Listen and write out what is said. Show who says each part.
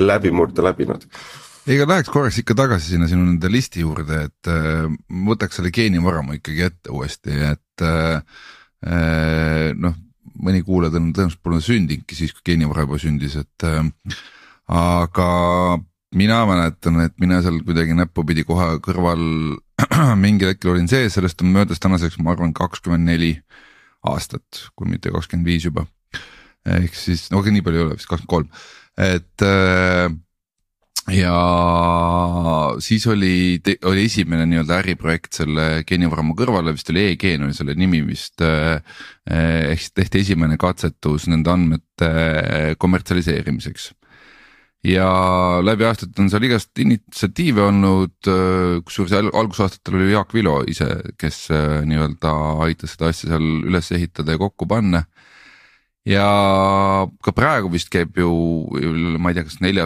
Speaker 1: läbimurde läbinud.
Speaker 2: Ega läheks korraks ikka tagasi sinna sinu nende listi juurde, et võtaks selle geenivaramu ikkagi ette uuesti, et noh, mõni kuulajad on tõenäoliselt pole sündinudki siis, kui geenivara juba sündis, et aga mina mäletan, et mina seal kuidagi näppupidi kohe kõrval mingil hetkel olin sees, sellest on möödas tänaseks, ma arvan, 24 aastat, kui mitte 25 juba. Ehk siis, no nii palju ei ole, vist 23, et ja siis oli esimene nii-öelda äriprojekt selle geenivaramu kõrvale, vist oli e-geen oli selle nimi vist, ehk siis tehti esimene katsetus nende andmete kommertsialiseerimiseks. Ja läbi aastat on seal igast initsiatiive olnud, kusjuures algusaastatel oli Jaak Vilo ise, kes nii-öelda aitas seda asja seal üles ehitada ja kokku panna. Ja ka praegu vist käib ju, ma ei tea, kas 4.